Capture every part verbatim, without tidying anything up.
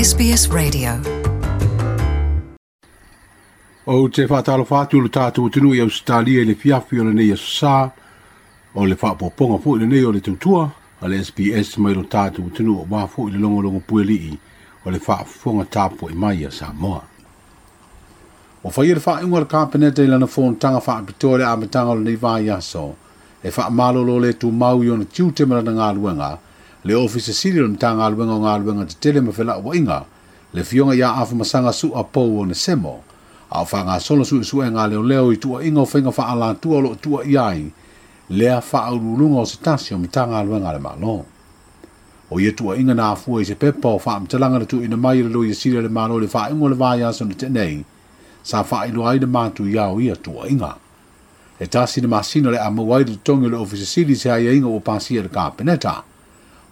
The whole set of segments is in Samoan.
S B S Radio. O te whātalo whātu le tātou tunu i Australia i le fiafi o le nei aso o le whaapoponga fo i le nei o le tautua a le S B S mai lo tātou tunu o wā fo i le longo longo puelii o le whaafonga tāpo i mai a Samoa. O whai le whainga le kāpeneta i lana fōntanga whaapitoa le amatanga o le nei vai aso e whaamalolo le tū mau i ona tiute ma lana ngāluenga le ofisa sili o mta ngāluenga o ngāluenga te tele ma whela ua inga le fionga ia afumasanga su a pou o ne semo a o whanga solo su su e ngā leo leo i tua inga o whainga whaalantua lo tua iai lea whaaurulunga o se tasi o mta ngāluenga le malo. O ia tua inga nā fua i se pepa o whaamtalanga le tu ina mai le lo ia sili le malo le whaingo le vai aso ne tenei sa whailo ai le mātu iao ia tua inga. E tasi le masina le amawai le tongi le ofisa sili se ai inga o pasia le kāpeneta.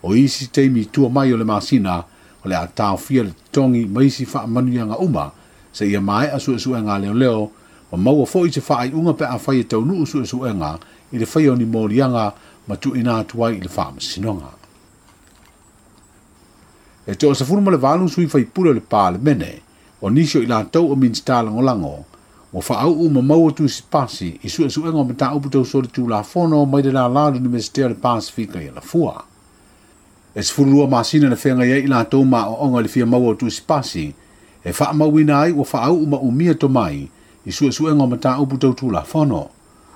O isi teimi tua mai o le masina o le atawhia le tongi maisi whaamanuianga uma se ia mai a suesuenga leo leo o maua fo i te whaai unga pe a whai e taunuu suesuenga i le whai o ni mōrianga ma tu ina atuai i le whaamasinonga. E te o safuru ma le valu sui whaipule o le pālemene o nisio i lātou o minsta langolango o whaau ma maua tu sipasi i suesuenga o mata upu tau soli tū la fono mai de la la Universite o le Pasifika i la fua. E sefululua masina na whenga ia i lātou ma o onga le fia maua tu sipasi e whaamauina ai o whaau ma umia to mai i suesuenga o mata upu tau tū la fono.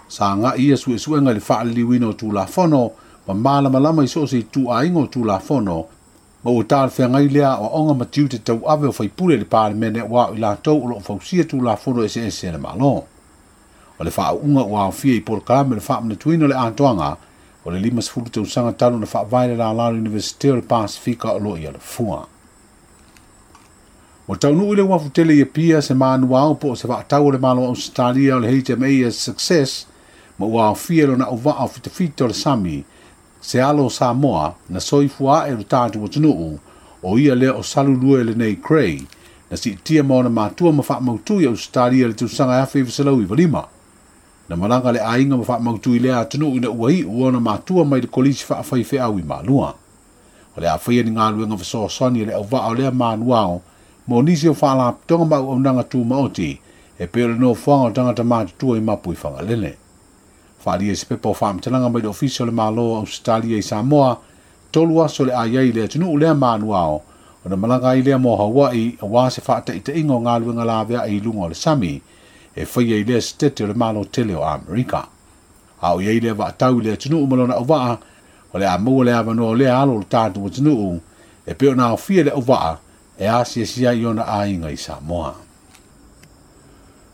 Sa ngā ia suesuenga le whaaliliwina o tū la fono ma mālamalama i so se tū ainga o tū la fono ma o tāle whengai lea o onga matiu te tau ave o whaipule le pālemene wa i lātou o lo fausia tū la fono e se ese le malo. O le whaaunga o aofia i porokalame le whaamnatuina le atoanga o le lima sefulu tausaga talu na faavae le lalā Universite o le Pasifika o lo ia le fua. O taunuu i le uafu tele i Apia se manuao po o se vaatau o le malo Australia o le H M A S Success ma ua aofia lona auvaa o fitafita o le sami se alo o Samoa na soifua e lo tātou atunuu o ia lea o Salulue lenei Cray na siitia ma ona matua ma faamautu i Australia le tausaga e afe iva selau iva lima. Na malanga le ainga ma faamautu i lea atunuu ina ua iu ona matua mai le kolisi faafaiifeau i Malua. O le afaia ni ngāluenga fesoasoani le auvaa o lea manuao mo nisi o whaalapotoga ma auaunaga tūmaoti e pei o le nofoaga o tagata matutua i mapu i Fagalele. Whaalia i se pepa o whaamtalanga mai le ofisa o le Malo o Australia i Samoa, tolu aso le aiai le atunuu lea manuao o na malanga ai lea mo Hawaii a wā se whaataitainga o ngāluenga lavea i lunga o le sami e whaia i lea setete o le malo tele o Amerika. A o iai lea vaatau i le atunuu ma lona auvaa o le a maua le avanoa o lea alo o le tātou atunuu e pei ona aofia le auvaa e asiasia i ona aiga i Samoa.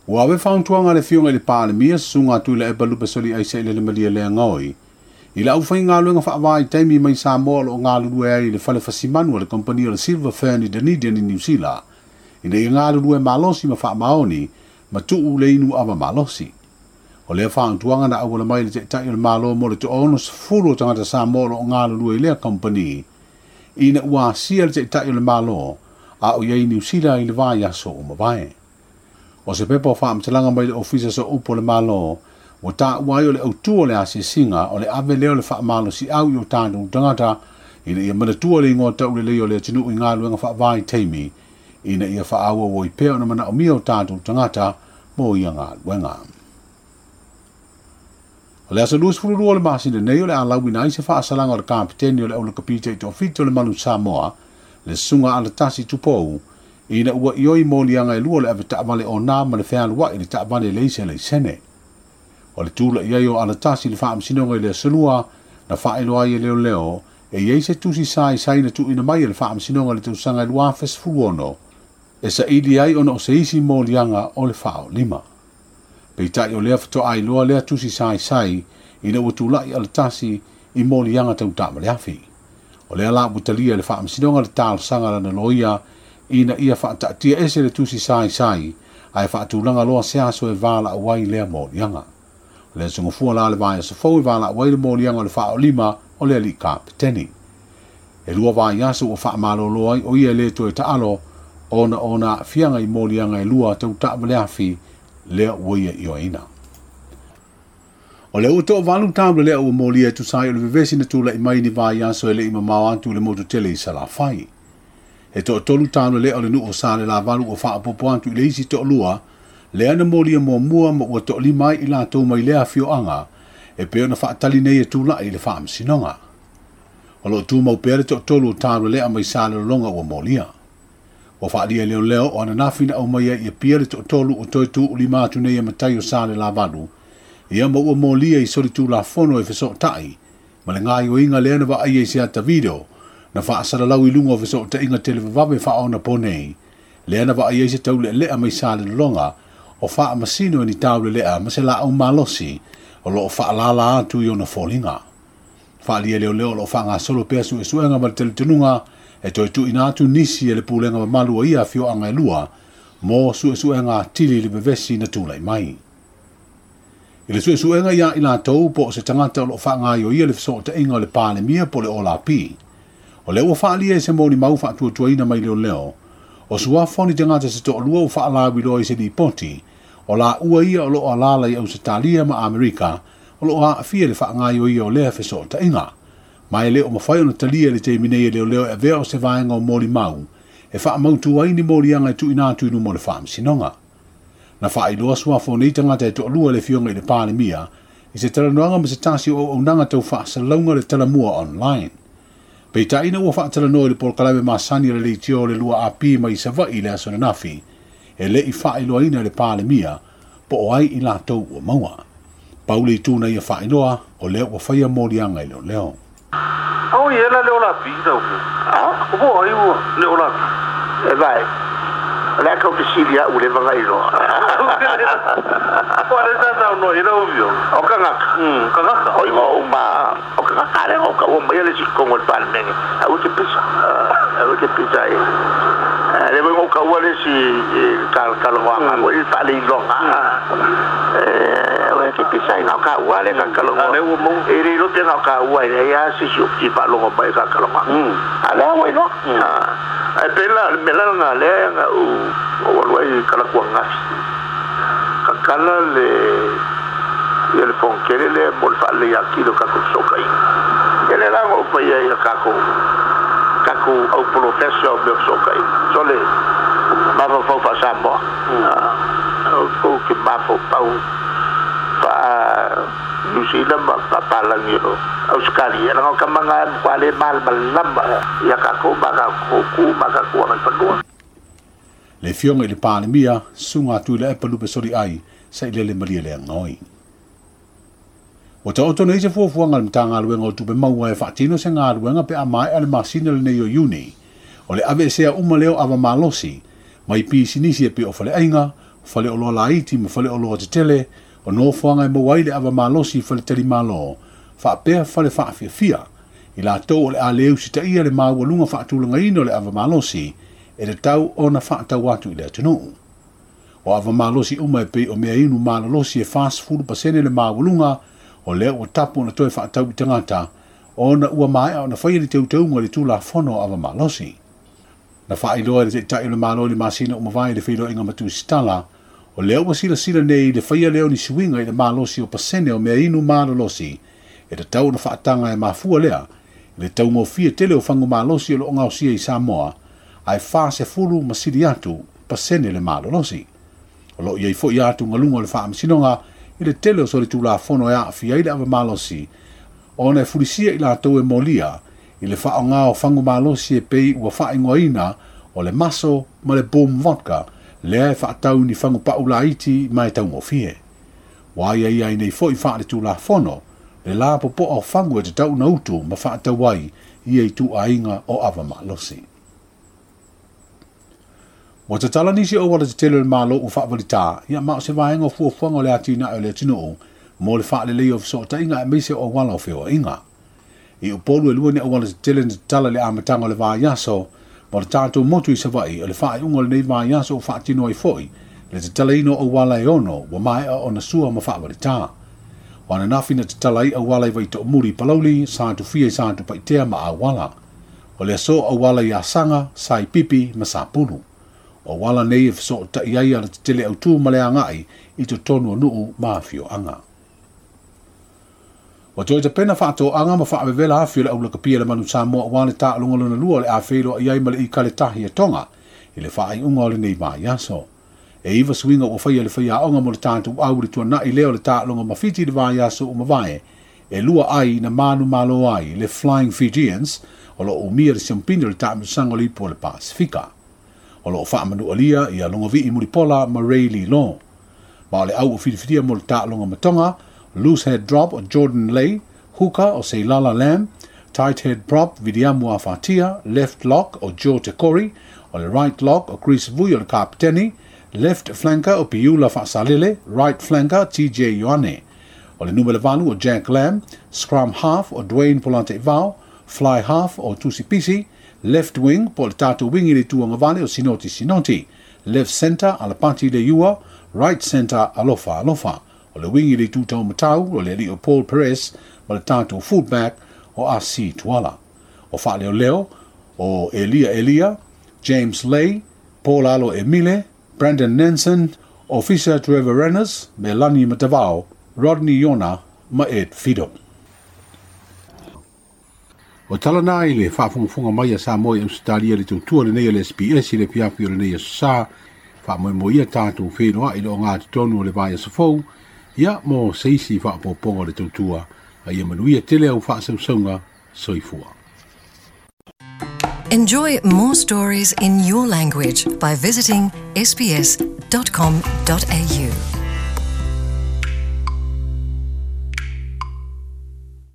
Ua awe whauntuanga le fionga i le pālemia susunga atu i le epa lupe soli aisa i le lemalia lea ngoi. I la uwhai ngā luenga whaawai i taimi mai Samoa lo ngā lulue ai i le whale whasimanu a le kompania le Silver Fern i Dunedin i New Zealand. Ina i ngā lulue malosi ma whaamaoni ma tuu le inu awa malosi. O lea whauntuanga na awala mai le te tai o le malo mo le te ono sefulu o tangata Samoa lo ngā lulue i lea kompani. Ina ua asia le te tai o le malo a o iai New Zealand i le vai aso o mawae. O se pepa o whaamtalanga mai le ofisa so upo le malo, o tā uai o le autua o le asiasinga o le ave leo le whaamalo si au i o tātou tangata ina ia manatua le ingoa tau le leo le atunuu i ngā luenga whaavai teimi ina ia whaaua o i peo na mana o mia o tātou tangata mo ia ngā luenga. O le aso luasefululua o le masina nei o le alauina ai se whaasalanga o le kapiteni o le aula kapita i tōfito o le malu Samoa le sunga ala tasi tupou ina ua ioi molianga e lua le ave taavale o nā ma le fealuai le taavale leise le sene. O le tula iai o ala tasi le whaamsinonga i le asolua na whaeloa ai e leo leo e iei se tusi sai sai na tuina mai e le whaamsinonga le tausaga e lua afe sefulu ono e sa ili ai ona o se isi molianga o le whao lima. Peitai o lea whatoa ai loa lea tusi sai sai ina ua tulai ala tasi i molianga tau taamale afi. O lea la utalia le whaamsinonga le taalsanga lana loia ina ia whaataatia ese le tusi sai sai ai whaatulanga loa se aso e wāla awai lea molianga. O lea sungafua la le vai aso fau e wāla awai le molianga o le whaolima o lea li kapiteni. E lua vai aso o whaamalolo ai o ia le toe taalo ona ona fianga i molianga e lua tau taavale afi lea uaia ioina. O le uto valu taula lea ua molia e tusai o le vevesi na tula i mai ni vai aso e le i mamao atu le motu tele i Salafai. E toʻatolu tauleleʻa o le nuu o Salelavalu ua faaopoopo atu i le isi toʻalua lea na molia muamua ma ua toʻalima ai i latou mai lea afioaga e pei ona faatali nei e tulaʻi i le faamasinoga. O loo tumau pea le toʻatolu o tauleleʻa mai Salelologa ua molia. Ua faalia leoleo o ananafi na aumai ai i Apia le toʻatolu o toe tuulima atu nei e matai o Salelavalu ia ma ua molia i solitulafono e fesoʻotaʻi ma le gaoioiga lea na vaaia i se ata video na faasalalau i luga o fesoʻotaʻiga televavave faaonapo nei lea na vaaia i se tauleʻeleʻa mai Salelologa o faamasino e ni tauleleʻa ma se laau malosi o loo faalala atu i ona foliga. Faalia leoleo o loo faagasolo pea suesuega ma le talitonuga e toe tuuina atu nisi e le pulega mamalu o ia afioaga e lua mo suesuega atili i le vevesi na tulai mai. I le suesuega ia i latou po o se tagata o loo faagaioia le fesoʻotaʻiga o le Palemia po o le Olapi. O lea ua faalia e se molimau faatuatuaina mai leoleo o suafa o ni tagata se toʻalua ua faalauiloa i se lipoti o laua ia o loo alala i Ausetalia ma Amerika o loo aafia le faagaioia o lea fesoʻotaʻiga. Ma e le o mafai ona talia le taimi nei e leoleo e avea o se vaega o molimau e faamautu ai ni moliaga e tuuina atu i luma o le faamasinoga. Na faailoa suafa o nei tagata e toʻalua le afioga i le Palemia i se talanoaga ma se tasi o auaunaga tau faasalalauga le talamua online. Peitaʻi ua faatalanoa i le polokalame masani o le leitio o le lua A P mai Savaʻi i le aso ananafi e leʻi faailoaina e le Palemia po o ai i latou ua maua. Pau le itu na ia faailoa o lea ua faia moliaga i leoleo. Au i ela le ola pi tau. Ah, O bo ai ua le ola pi. E vai. O le aka o fesili au le vagailoa. O le sa sa no ila o vio. O kangaka. Mm, kangaka. O ingo uma o kangaka le o ka o mai le sikongo le palemene. Au te pisa. Au te pisa e. Le mo ka ua le si kal kal wa mo i fa le ilonga. Eh, o te pisa i ka ua le ka kal A le ua mo. E le lo te ka ua le ya si si ti fa longo mai ka kal wa. Mm. A le wa ino. Ai pela mela nga le nga u o wa i kala ku ngafi. Ka kala le ia le fonkele le mo le faale ia kilo ka ko soka i. Ele la ngo pa ia ia ka ko ka ko au professor me soka i. So le ma fa fa fa sa mo. O o ke ma fa pa fa New Zealand ma pa pa langi o Australia la ka manga kwa le mal malamba ia ka ko ma ka ko ku ma ka ko ma fa. Le afioga i le Palemia suga atu i le epa lupe soli ai sa i lele malia le agaoi. Ua taoto nei se fuafuaga le Matagaluega o Tupe Maua e faatino se galuega pe a maeʻa le masina lenei o Iuni o le aveesea uma lea o ava malosi mai pisinisi e pei o faleaiga, faleoloa laiti ma faleoloa tetele o nofoaga e maua ai le ava malosi i faletalimālō faapea fale faafiafia i latou o le a le usitaia le maualuga faatulagaina o le ava malosi e tatau ona faatau atu i le atunuu. O ava malosi uma e pei o mea inu malolosi e fasefulu pasene le maualuga o lea ua tapu ona toe faatau i tagata ona ua maeʻa ona faia le teuteuga i le tulafono o ava malosi. Na faailoa e le taʻitaʻi o le Malo i le masina uma vae i le feiloaiga ma tusitala o lea ua silasila nei i le faia lea o ni suiga i le malosi o pasene o mea inu malolosi e tatau ona faataga e mafua lea i le taugofie tele o fagu malosi o loo gaosia i Samoa ae fasefulu ma sili atu pasene le malolosi. O loo iai foʻi atugaluga o le faamasinoga i le tele o solitulafono e aafia ai le ava malosi ona e fulisia i latou e molia i le faaogā o fagu malosi e pei ua faaigoaina o le maso ma le Boom Vodka lea e faatau ni fagu paʻu laiti ma e taugofie. Ua aiaia ai nei foʻi faaletulafono le lapopoa o fagu e tatau ona utu ma faatau ai ia ituaiga o ava malosi. Ua tatala nisi o auala tetele o le Malo ua faavalitā ia ma o se vaega o fuafuaga o le atinae o le atunuu mo le faaleleia o fesoʻotaʻiga aemaise o auala o feoaiga. I Upolu e lua ni auala tetele na tatala i le amataga o le vaiaso ma le tatou motu i Savaʻi o le faaiuga o lenei vaiaso ua faatino ai foʻi le tatalaina o auala e ono ua maeʻa ona sua ma faavalitā. O ananafi na tatala ai auala i Vaitoʻomuli i Palauli, Satufia i Satupaitea ma Auala. O le aso auala i Asaga, Saipipi ma Sapulu. O auala nei e fesoʻotaʻi ai ala tetele autū ma le agaʻi i totonu o nuu ma afioaga. Ua toe tapena faatoaga ma faavevela afi o le aulakapia le manu Samoa auā le taaloga lona lua o le a feiloai ai ma le Ikaletahi a Toga i le faaiuga o lenei vaiaso. E iva suiga ua faia e le faiaoga mo le tatou au i le tuanai lea o le taaloga ma Fiti i le vaiaso ua mavae, e lua ai na manumalo ai le Flying Fijians o loo umia le siampini o le taamilosaga o le Ipu o le Pasefika. O loo faamanualia ia Logovi'i Mulipola ma Ray Lilo. Ma o le au ua filifilia mo le taaloga ma Toga, loose head drop o Jordan Lay, hooker o Seilala Lam, tight head prop Viliamu Afatia, left lock o Joe Tekori, o le right lock o Chris Vui o le kapiteni, left flanker o Piula Faasalele, right flanker T J Ioane. O le numera valu o Jack Lam, scrum half o Dwayne Polante Vao, fly half o Tusi Pisi, left wing po le tatou wing i le tuagavale o Sinoti Sinoti, left center Alapati Leiua, right center Alofa Alofa. O le wing i le tutau matau o le alii o Paul Perez ma le tatou fullback o Asi Tuala. O Faaleoleo o Elia Elia, James Lay, Paul Alo Emile, Brandon Nansen, Officer Trevor Rennes, Melanie Matavao, Rodney Yona ma Ed Fido. O tala i le faafogafoga mai a Samoa i Ausetalia le tautua lenei a le S B S i le fiafi o lenei aso sa, faamoemoe tatou feiloai i le ogatotonu o le vaiaso fou, ia mo se isi faaopoopoga o le tautua, a ia manuia tele au faasausauga soifua. Enjoy more stories in your language by visiting S B S dot com dot A U.